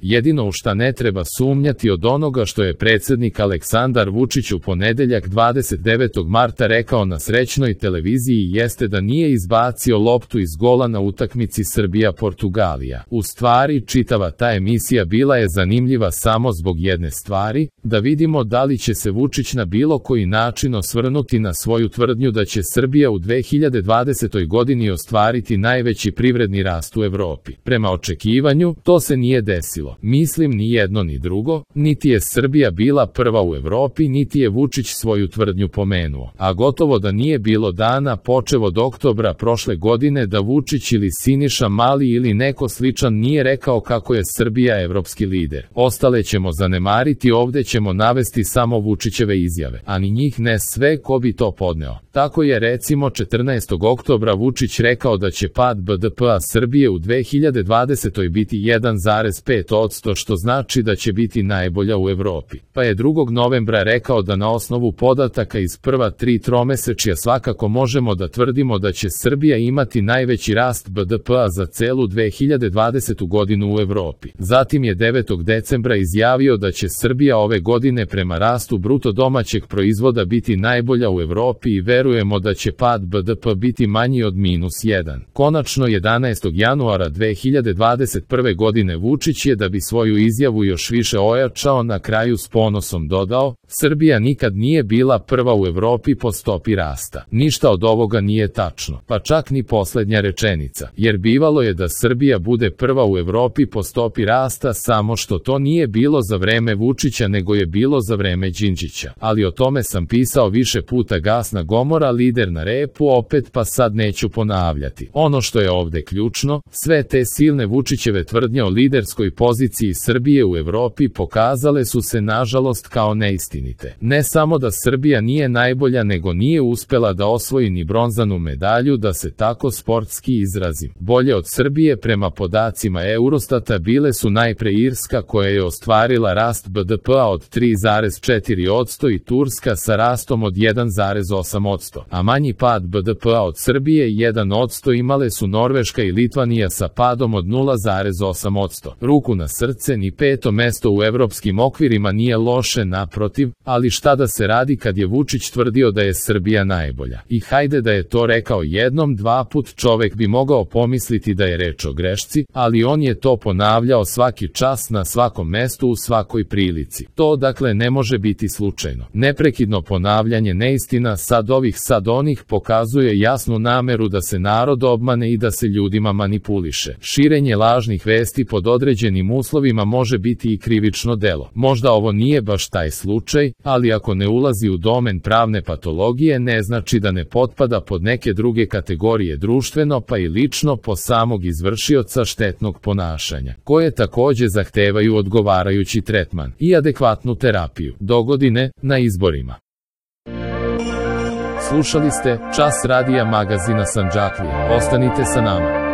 Jedino u šta ne treba sumnjati od onoga što je predsjednik Aleksandar Vučić u ponedeljak 29. marta rekao na srećnoj televiziji jeste da nije izbacio loptu iz gola na utakmici Srbija-Portugalija. U stvari, čitava ta emisija bila je zanimljiva samo zbog jedne stvari, da vidimo da li će se Vučić na bilo koji način osvrnuti na svoju tvrdnju da će Srbija u 2020. godini ostvariti najveći privredni rast u Evropi. Prema očekivanju, to se nije desilo. Mislim ni jedno ni drugo, niti je Srbija bila prva u Evropi, niti je Vučić svoju tvrdnju pomenuo. A gotovo da nije bilo dana počev od oktobra prošle godine da Vučić ili Siniša Mali ili neko sličan nije rekao kako je Srbija evropski lider. Ostale ćemo zanemariti, ovde ćemo navesti samo Vučićeve izjave, a ni njih ne sve ko bi to podneo. Tako je recimo 14. oktobra Vučić rekao da će pad BDP-a Srbije u 2020. biti 1,5%, što znači da će biti najbolja u Evropi. Pa je 2. novembra rekao da na osnovu podataka iz prva 3 tromesečja svakako možemo da tvrdimo da će Srbija imati najveći rast BDP-a za celu 2020. godinu u Evropi. Zatim je 9. decembra izjavio da će Srbija ove godine prema rastu bruto domaćeg proizvoda biti najbolja u Evropi i verujemo da će pad BDP biti manji od -1. Konačno 11. januara 2021. godine Vučić je, da bi svoju izjavu još više ojačao, na kraju s ponosom dodao: Srbija nikad nije bila prva u Evropi po stopi rasta. Ništa od ovoga nije tačno, pa čak ni poslednja rečenica, jer bivalo je da Srbija bude prva u Evropi po stopi rasta, samo što to nije bilo za vreme Vučića nego je bilo za vreme Đinđića. Ali o tome sam pisao više puta, gasna gomora, lider na repu opet, pa sad neću ponavljati. Ono što je ovde ključno, sve te silne Vučićeve tvrdnje o liderskoj poziciji Srbije u Evropi pokazale su se nažalost kao neistinite. Ne samo da Srbija nije najbolja, nego nije uspela da osvoji ni bronzanu medalju, da se tako sportski izrazim. Bolje od Srbije prema podacima Eurostata bile su najpre Irska, koja je ostvarila rast BDP-a od 3,4% i Turska sa rastom od 1,8%, a manji pad BDP-a od Srbije 1% imale su Norveška i Litvanija sa padom od 0,8%. Ruku na srce, ni 5. mesto u evropskim okvirima nije loše, naprotiv, ali šta da se radi kad je Vučić tvrdio da je Srbija najbolja? I hajde da je to rekao jednom, dva put, čovek bi mogao pomisliti da je reč o grešci, ali on je to ponavljao svaki čas, na svakom mestu, u svakoj prilici. To dakle ne može biti slučajno. Neprekidno ponavljanje neistina, sad ovih sad onih, pokazuje jasnu nameru da se narod obmane i da se ljudima manipuliše. Širenje lažnih vesti pod određenim uslovima može biti i krivično delo. Možda ovo nije baš taj slučaj, ali ako ne ulazi u domen pravne patologije, ne znači da ne potpada pod neke druge kategorije društveno pa i lično po samog izvršioca štetnog ponašanja, koje takođe zahtevaju odgovarajući tretman i adekvatnu terapiju. Dogodine na izborima. Slušali ste Čas radija magazina Sandžaklija. Ostanite sa nama.